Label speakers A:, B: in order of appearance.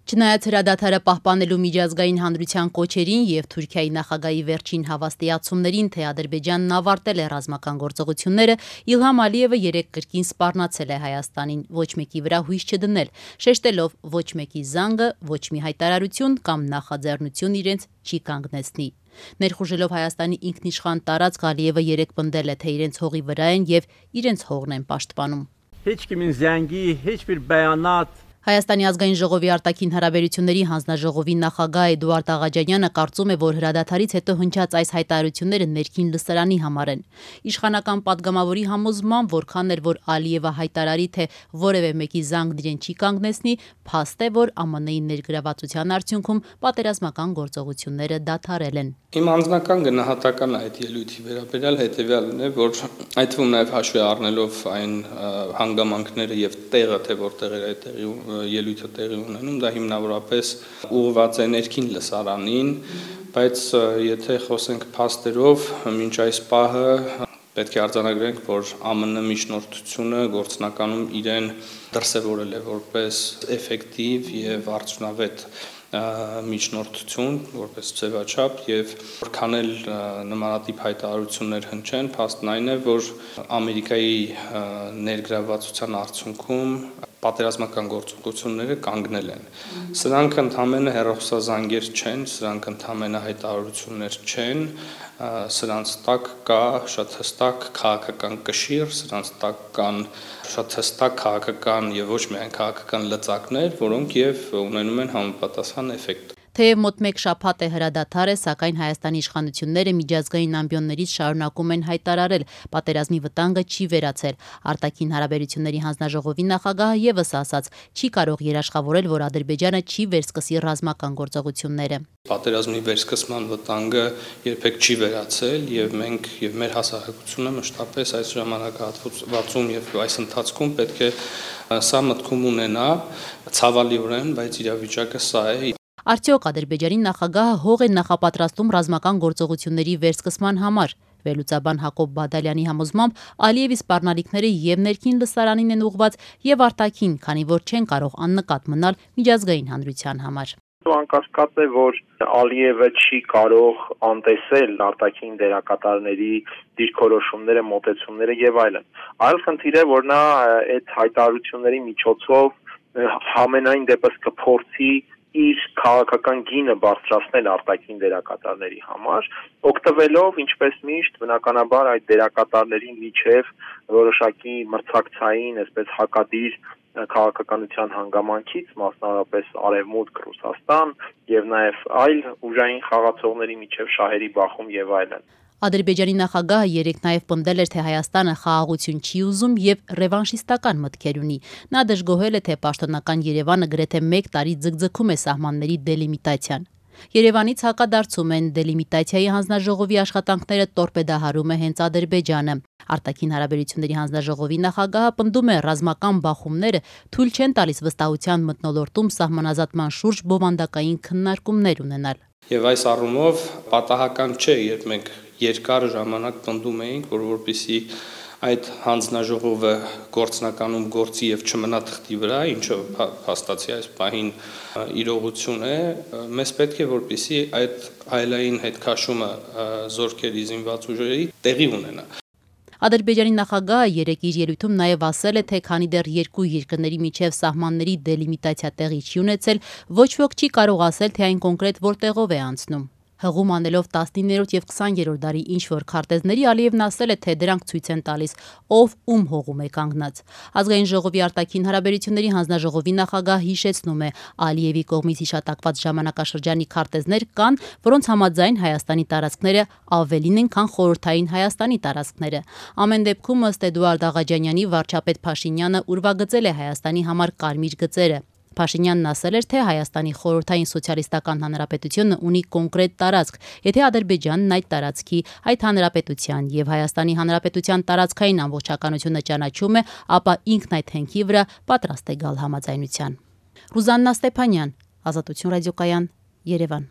A: Չնայած հրադադարը պահպանելու միջազգային հանրության կոչերին եւ Թուրքիայի նախագահի վերջին հավաստիացումներին, թե Ադրբեջանն ավարտել է ռազմական գործողությունները, Իլհամ Ալիևը երեկ կրկին սպառնացել է Հայաստանին ոչ մեկի վրա հույս չդնել, շեշտելով ոչ մեկի զանգը, ոչ մի հայտարարություն կամ նախաձեռնություն իրենց չի կանգնեցնի։ Ներխուժելով Հայաստանի ինքնիշխան տարածք, Ալիևը երեկ պնդել է, թե իրենց հողի վրա են եւ իրենց հողն են պաշտպանում։ Հայաստանի ազգային ժողովի արտաքին հարաբերությունների հանձնաժողովի նախագահ Էդուարդ Աղաջանյանը կարծում է, որ հրադադարից հետո հնչած այս հայտարարությունները ներքին լսարանի համար են։ Իշխանական падգամավորի համոզմամբ, որքան էր որ Ալիևը հայտարարի, թե որևէ մեկի զանգն իրեն չի կանգնեցնի, փաստ է, որ ԱՄՆ-ի ներգրավվածության արդյունքում պատերազմական գործողությունները դադարել են։
B: Իմ անձնական գնահատականը այդ ելույթի վերաբերյալ հետևյալն է, որ այդ թվում նաև հաշվի առնելով այն հանգամանքները եւ տեղը, թե որտեղ էր այդ ելույթը տեղի ունենում, դա հիմնավորապես ուղղված է ներքին լսարանին, բայց եթե խոսենք փաստերով, մինչ այս պահը պետք է արձանագրենք, որ ԱՄՆ միջնորդությունը գործնականում իրեն դրսևորել է որպես էֆեկտիվ եւ արդյունավետ միջնորդություն, որպես ձևաչափ եւ որքան էլ նմանատիպ հայտարարություններ հնչեն, փաստն այն է, որ Ամերիկայի ներգրավվածության արդյունքում պատերազմական գործողությունները կանգնել են։ Սրանք ընդհանրապես հեռախոսազանգեր չեն, սրանք ընդհանրապես հայտարարություններ չեն, սրանց տակ կա շատ հստակ քաղաքական կշիռ, սրանց տակ կան շատ հստակ քաղաքական եւ ոչ միայն քաղաքական լծակներ, որոնք եւ ունենում են համապատասխան էֆեկտ։
A: Թեև մոտ մեկ շաբաթ է հրադադարը, սակայն Հայաստանի իշխանությունները միջազգային ամբիոններից շարունակում են հայտարարել, պատերազմի վտանգը չի վերացել։ Արտաքին հարաբերությունների հանձնաժողովի նախագահը եւս ասաց, չի կարող երաշխավորել, որ Ադրբեջանը չի վերսկսի ռազմական գործողությունները։
B: Պատերազմի վերսկսման վտանգը երբեք չի վերացել եւ մենք եւ մեր հասարակությունը մշտապես այս ժամանակահատվածում եւ այս ընթացքում պետք է սա մտքում ունենա, ցավալիորեն, բայց իրավիճակը սա է։
A: Արդյոք Ադրբեջանի նախագահը հող է նախապատրաստում ռազմական գործողությունների վերսկսման համար։ Վերլուծաբան Հակոբ Բադալյանի համոզմամբ Ալիևի սպառնալիքները եւ ներքին լսարանին են ուղղված եւ արտաքին, քանի որ չեն կարող աննկատ մնալ միջազգային հանրության համար։
C: Անկասկած է, որ Ալիևը չի կարող անտեսել արտաքին դերակատարների դիրքորոշումները, մոտեցումները եւ այլն։ Այլ խնդիր է, որ նա այդ հայտարարությունների միջոցով համենայն դեպս կփորձի իր քաղաքական գինը բարձրացնել արտաքին դերակատարների համար, օգտվելով ինչպես միշտ բնականաբար այդ դերակատարների միջև որոշակի մրցակցային, այսպես հակադիր քաղաքականության հանգամանքից, մասնավորապես Արևմուտք, Ռուսաստան եւ նաեւ այլ ուժային խաղացողների միջև շահերի բախում եւ այլն։
A: Ադրբեջանի նախագահը երեկ նաև պնդել էր, թե Հայաստանը խաղաղություն չի ուզում եւ ռևանշիստական մտքեր ունի։ Նա դժգոհել է, թե պաշտոնական Երևանը գրեթե 1 տարի ձգձգում է սահմանների դելիմիտացիան։ Երևանից հակադարձում են դելիմիտացիայի հանձնաժողովի աշխատանքները տորպեդահարում է հենց Ադրբեջանը։ Արտաքին հարաբերությունների հանձնաժողովի նախագահը պնդում է, ռազմական բախումները թույլ չեն տալիս վստահության մթնոլորտում սահմանազատման շուրջ բովանդակային քննարկումներ ունենալ։
B: Եվ այս առումով պատահական չէ, երբ մենք երկար ժամանակ պնդում էինք, որ որպեսզի այդ հանձնաժողովը գործնականում գործի եւ չմնա թղթի վրա, ինչը փաստացի այս պահին իրողություն է, մեզ պետք է որպեսզի այդ հայլային հետքաշումը զորքերի զինված ուժերի տեղի ունենա։
A: Ադրբեջանի նախագահը երեկ իր ելույթում նաև ասել է, թե քանի դեռ երկու երկրների միջև սահմանների դելիմիտացիա տեղի չի ունեցել, ոչ ոք չի կարող ասել, թե այն կոնկրետ որտեղով է անցնում։ Հղում անելով 19-րդ եւ 20-րդ դարի ինչ-որ քարտեզների, Ալիևն ասել է, թե դրանք ցույց են տալիս, ով ում հողում է կանգնած։ Ազգային ժողովի արտաքին հարաբերությունների հանձնաժողովի նախագահ հիշեցնում է, Ալիևի կողմից հիշատակված ժամանակաշրջանի քարտեզներ կան, որոնց համաձայն Հայաստանի տարածքները ավելին են, քան խորհրդային Հայաստանի տարածքները։ Ամեն դեպքում ըստ Էդուարդ Աղաջանյանի վարչապետ Փաշինյանը ուրվագծել է Հայաստանի համար կարմիր գծերը։ Փաշինյանն ասել էր, թե Հայաստանի խորհրդային սոցիալիստական հանրապետությունը ունի կոնկրետ տարածք, եթե Ադրբեջանն այդ տարածքի, այդ հանրապետության եւ Հայաստանի հանրապետության տարածքային ամբողջականությունը ճանաչում է, ապա ինքն այդ հենքի վրա պատրաստ է գալ համաձայնության։ Ռուզաննա Ստեփանյան, Ազատություն ռադիոկայան, Երևան։